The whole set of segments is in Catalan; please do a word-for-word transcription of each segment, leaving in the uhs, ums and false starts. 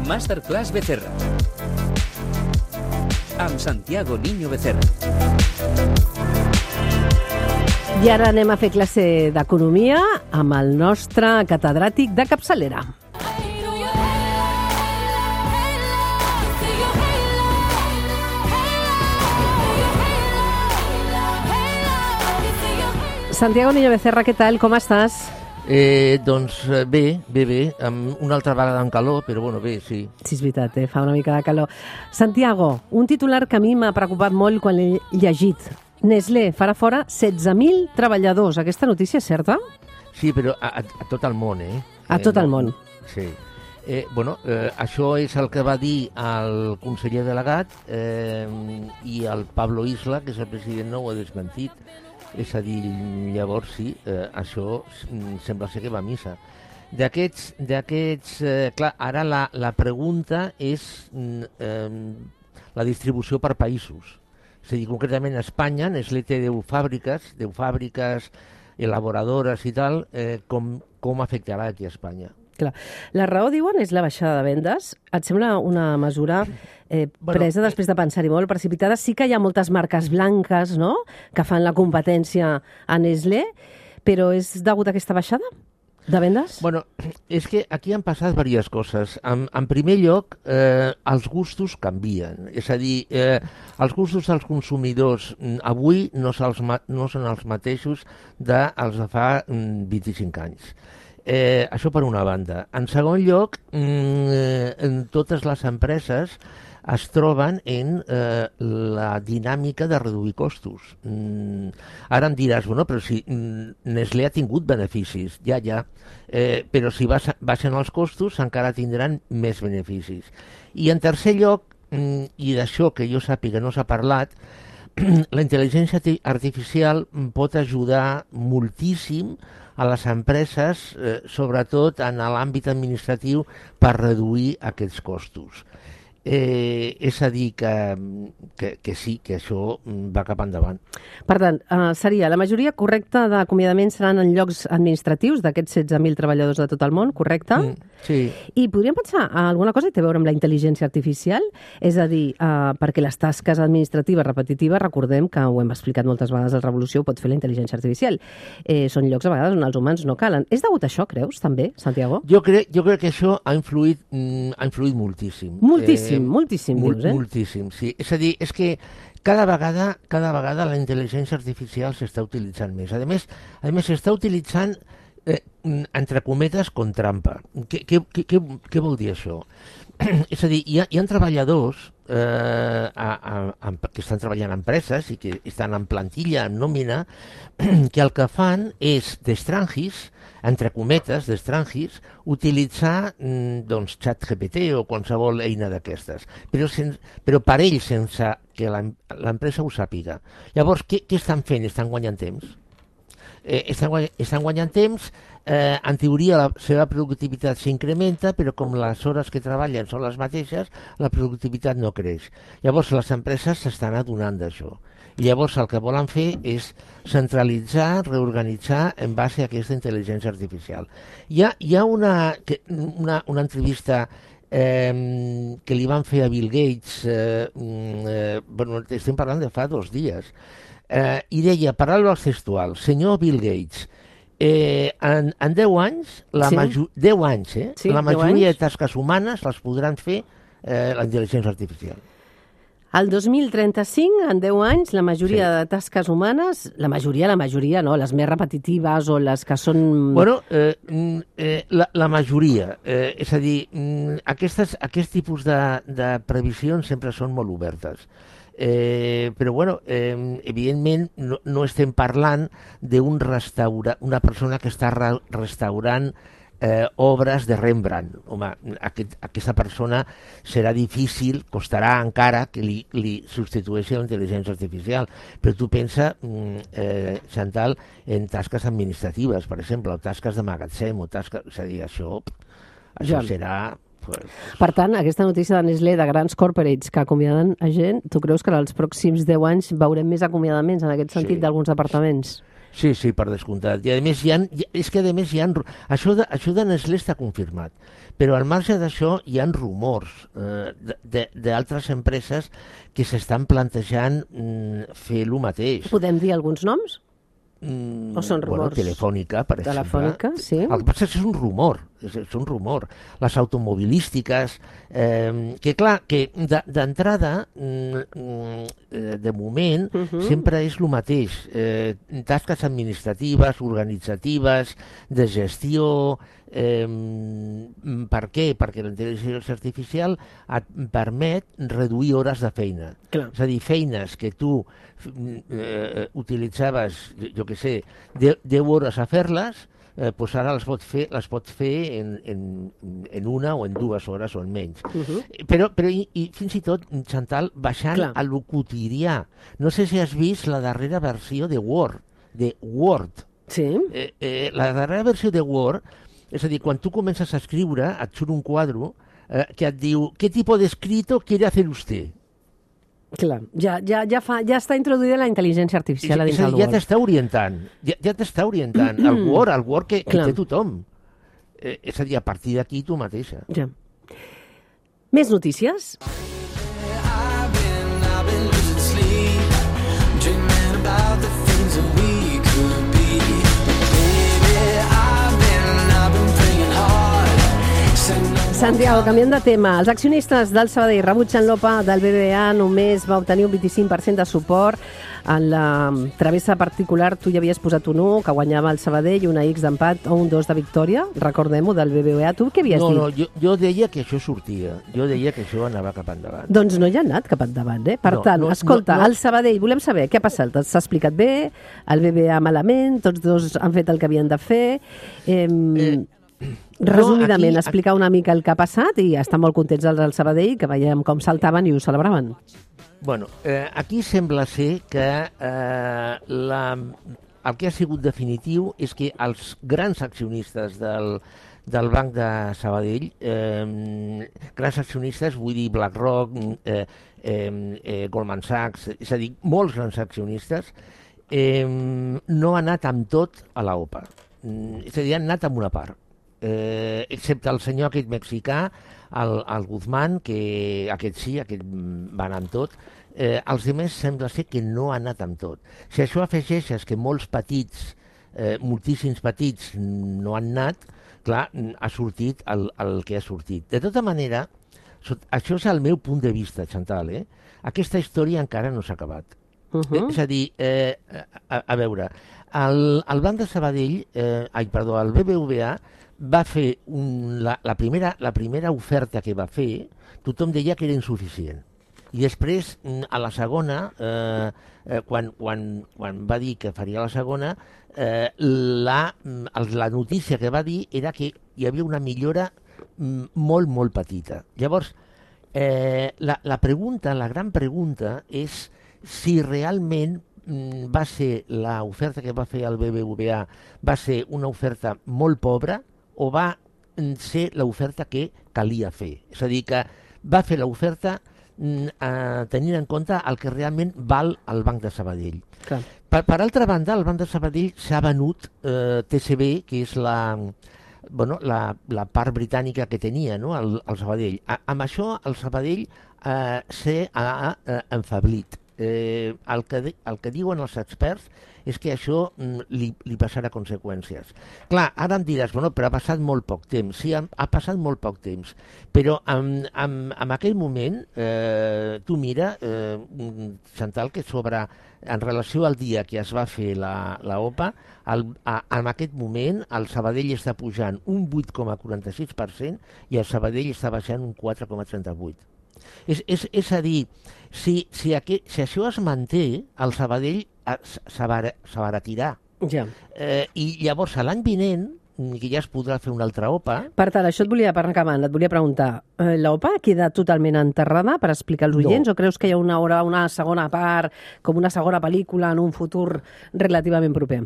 Masterclass Becerra. Amb Santiago Niño Becerra. I ara anem a fer classe d'economia amb el nostre catedràtic de capçalera. Santiago Niño Becerra, què tal? Com estàs? Eh, doncs bé, bé, bé, amb una altra vegada amb calor, però bueno, bé, sí. Sí, és veritat, eh? Fa una mica de calor. Santiago, un titular que a mi m'ha preocupat molt quan l'he llegit. Nestlé farà fora setze mil treballadors. Aquesta notícia és certa? Sí, però a, a, a tot el món, eh? A tot eh, el món. Sí. Eh, bueno, eh, això és el que va dir el conseller delegat eh, i el Pablo Isla, que és el president, no ho ha desmentit. És a dir, llavors sí, eh, això sembla ser que va a missa. D'aquests, d'aquests eh, clar, ara la, la pregunta és eh, la distribució per països. És a dir, concretament a Espanya, Nestlé té deu fàbriques, deu fàbriques elaboradores i tal, eh, com, com afectarà aquí a Espanya. Clar. La raó, diuen, és la baixada de vendes. Et sembla una mesura eh, Bueno, presa després de pensar-hi molt, precipitada? Sí que hi ha moltes marques blanques, no?, que fan la competència a Nestlé, però és degut a aquesta baixada de vendes? Bueno, és que aquí han passat diverses coses. En, en primer lloc, eh, els gustos canvien. És a dir, eh, els gustos dels consumidors avui no, no són els mateixos dels de fa vint-i-cinc anys. Eh, això per una banda. En segon lloc, eh, en totes les empreses es troben en eh, la dinàmica de reduir costos. Mm, ara em diràs, bueno, però si mm, Nestlé ha tingut beneficis, ja, ja, eh, però si baixen els costos encara tindran més beneficis. I en tercer lloc, mm, i d'això que jo sàpiga no s'ha parlat, la intel·ligència artificial pot ajudar moltíssim a les empreses, eh, sobretot en l'àmbit administratiu, per reduir aquests costos. Eh, és a dir, que, que, que sí, que això va cap endavant. Per tant, eh, seria la majoria correcta d'acomiadaments seran en llocs administratius d'aquests setze mil treballadors de tot el món, correcte? Mm, sí. I podríem pensar en alguna cosa que té a veure amb la intel·ligència artificial? És a dir, eh, perquè les tasques administratives repetitives, recordem que ho hem explicat moltes vegades, la revolució ho pot fer la intel·ligència artificial. Eh, són llocs a vegades on els humans no calen. És degut a això, creus, també, Santiago? Jo crec, jo crec que això ha influït, mm, ha influït moltíssim. Moltíssim. Eh, Moltíssim, Mol, dius, eh? Moltíssim, sí. És a dir, és que cada vegada, cada vegada la intel·ligència artificial s'està utilitzant més. A més, a més s'està utilitzant, eh, entre cometes, con trampa. Què, què, què, què vol dir això? És a dir, hi ha, hi ha treballadors eh, a, a, a, que estan treballant en empreses i que estan en plantilla, en nòmina, que el que fan és d'estrangis, entre cometes, d'estrangis, utilitzar doncs, ChatGPT o qualsevol eina d'aquestes, però, sen, però per ells sense que l'empresa ho sàpiga. Llavors, què, què estan fent? Estan guanyant temps. Eh, estan, guanyant, estan guanyant temps, eh, en teoria la seva productivitat s'incrementa, però com les hores que treballen són les mateixes, la productivitat no creix. Llavors, les empreses s'estan adonant d'això. I llavors el que volen fer és centralitzar, reorganitzar en base a aquesta intel·ligència artificial. Hi ha, hi ha una, una, una entrevista eh, que li van fer a Bill Gates, eh, eh, bueno, estem parlant de fa dos dies, eh, i deia, paraules textuals, senyor Bill Gates, eh, en, en deu anys, la sí. major, deu anys, eh, sí, la majoria anys. de tasques humanes les podran fer eh, la intel·ligència artificial. El dos mil trenta-cinc, en deu anys, la majoria sí. de tasques humanes, la majoria, la majoria, no, les més repetitives o les que són... Bueno, eh, eh, la, la majoria, eh, és a dir, aquestes, aquest tipus de, de previsions sempre són molt obertes. Eh, però, bueno, eh, evidentment no, no estem parlant d'un restaurant, una persona que està re restaurant Eh, obres de Rembrandt. Home, aquest, aquesta persona serà difícil, costarà encara que li, li substitueixi la intel·ligència artificial. Però tu pensa, eh, Chantal, en tasques administratives, per exemple, o tasques de magatzem, o tasques... És a dir, això, això ja. serà... Pues... Per tant, aquesta notícia de Nestlé, de grans corporates que acomiaden a gent, tu creus que en els pròxims deu anys veurem més acomiadaments en aquest sentit sí. d'alguns departaments? Sí, sí, per descomptat. I a més, hi ha, és que a més hi ha, això de, això de Nestlé està confirmat, però al marge d'això hi ha rumors eh, d'altres empreses que s'estan plantejant mm, fer el mateix. Podem dir alguns noms? Mm, o són rumors? Bueno, Telefònica, per exemple. Telefònica, sí. El que passa és que és un rumor, és, és un rumor. Les automobilístiques, eh, que clar, que d'entrada, mm, de moment, uh -huh. sempre és el mateix. Eh, tasques administratives, organitzatives, de gestió. Eh, per què? Perquè la intel·ligència artificial et permet reduir hores de feina. Clar. És a dir, feines que tu eh, utilitzaves, jo què sé, deu hores a fer-les, eh, doncs ara les pots fer, les pots fer en, en, en una o en dues hores o en menys. Uh -huh. Però, però i, i fins i tot, Chantal, baixant Clar. a lo quotidià. No sé si has vist la darrera versió de Word, de Word. Sí. Eh, eh, la darrera versió de Word, és a dir, quan tu comences a escriure, et surt un quadre eh, que et diu «¿Qué tipo de escrito quiere hacer usted?» Clar, ja, ja, ja, fa, ja està introduïda la intel·ligència artificial a dins del Word. Ja t'està orientant, ja, ja t'està orientant el Word, el Word que, que té tothom. Eh, és a dir, a partir d'aquí tu mateixa. Ja. Més notícies? Santiago, canviant de tema. Els accionistes del Sabadell rebutgen l'O P A del B B V A, només va obtenir un vint-i-cinc per cent de suport. En la travessa particular tu ja havies posat un u, que guanyava el Sabadell, una X d'empat o un dos de victòria, recordem-ho, del B B V A. Tu què havies no, dit? No, no, jo, jo deia que això sortia, jo deia que això anava cap endavant. Doncs no hi ha anat cap endavant, eh? Per no, tant, no, escolta, no, no. el Sabadell, volem saber què ha passat. S'ha explicat bé, el B B V A malament, tots dos han fet el que havien de fer. Eh, eh, resumidament, no, aquí, explicar una mica el que ha passat i estan molt contents els del Sabadell, que veiem com saltaven i ho celebraven. Bueno, eh, aquí sembla ser que eh, la, el que ha sigut definitiu és que els grans accionistes del, del Banc de Sabadell, eh, grans accionistes, vull dir BlackRock, eh, eh, eh, Goldman Sachs, és a dir, molts grans accionistes, eh, no han anat amb tot a l'O P A. És a dir, han anat amb una part. Eh, excepte el senyor aquest mexicà, el, el Guzmán, que aquest sí, aquest va anar amb tot. Eh, els altres sembla ser que no han anat amb tot. Si això afegeixes que molts petits, eh, moltíssims petits no han anat, clar, ha sortit el, el que ha sortit. De tota manera, això és el meu punt de vista, Chantal, eh? Aquesta història encara no s'ha acabat. Uh -huh. És a dir, eh, a, a veure, el, el Banc de Sabadell, eh, ai, perdó, el B B V A va fer un, la, la, primera, la primera oferta que va fer, tothom deia que era insuficient. I després, a la segona, eh, eh, quan, quan, quan va dir que faria la segona, eh, la, la notícia que va dir era que hi havia una millora molt, molt petita. Llavors, eh, la, la pregunta, la gran pregunta és si realment va ser l'oferta que va fer el B B V A va ser una oferta molt pobra o va ser l'oferta que calia fer. És a dir, que va fer l'oferta eh, tenint en compte el que realment val el Banc de Sabadell. Per, per altra banda, el Banc de Sabadell s'ha venut eh, T C B, que és la, bueno, la, la part britànica que tenia, no? el, el Sabadell. A, amb això el Sabadell eh, s'ha eh, enfablit. Eh, el, que, el que diuen els experts és que això mm, li, li passarà conseqüències. Clar, ara em diràs, bueno, però ha passat molt poc temps. Sí, ha, ha passat molt poc temps, però en, en, en aquell moment, eh, tu mira, eh, Chantal, que sobre, en relació al dia que es va fer la, la O P A, el, a, en aquest moment el Sabadell està pujant un vuit coma quaranta-sis per cent i el Sabadell està baixant un quatre coma trenta-vuit per cent. És, és, és a dir, si, si, aquest, si això es manté, el Sabadell s'abaratirà. Ja. Eh, I llavors, l'any vinent, que ja es podrà fer una altra O P A... Per tant, això et volia, per acabant, et volia preguntar, eh, la O P A queda totalment enterrada per explicar als oients, no. O creus que hi ha una, hora, una segona part, com una segona pel·lícula en un futur relativament proper?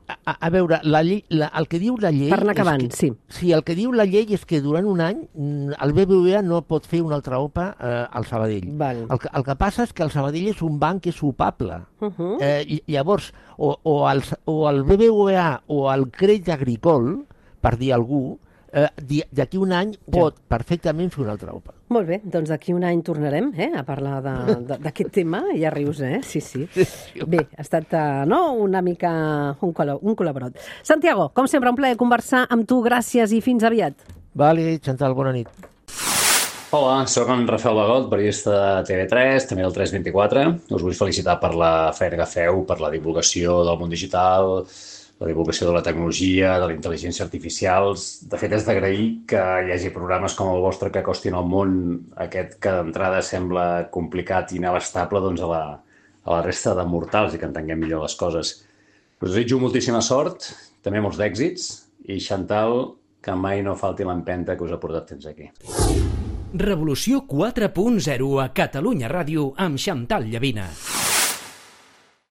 a, a veure, la llei, la, el que diu la llei... Per anar acabant, que, sí. Sí, el que diu la llei és que durant un any el B B V A no pot fer una altra O P A eh, al Sabadell. Val. El, que, el que passa és que el Sabadell és un banc que és opable. Uh -huh. eh, i, llavors, o, o, el, o el B B V A o el Crèdit Agricole, per dir algú, eh, d'aquí un any pot ja. perfectament fer una altra O P A. Molt bé, doncs d'aquí un any tornarem eh, a parlar d'aquest tema. Ja rius, eh? Sí, sí. Bé, ha estat uh, no, una mica un, col un col·laborat. Santiago, com sempre, un plaer conversar amb tu. Gràcies i fins aviat. Vale, Chantal, bona nit. Hola, sóc en Rafael Bagot, periodista de T V tres, també del tres vint-i-quatre. Us vull felicitar per la feina que feu, per la divulgació del món digital, la divulgació de la tecnologia, de la intel·ligència artificial. De fet, és d'agrair que hi hagi programes com el vostre que acostin al món aquest que d'entrada sembla complicat i inabastable doncs, a, la, a la resta de mortals i que entenguem millor les coses. Us desitjo moltíssima sort, també molts d'èxits, i Chantal, que mai no falti l'empenta que us ha portat fins aquí. Revolució quatre punt zero a Catalunya Ràdio amb Chantal Llavina.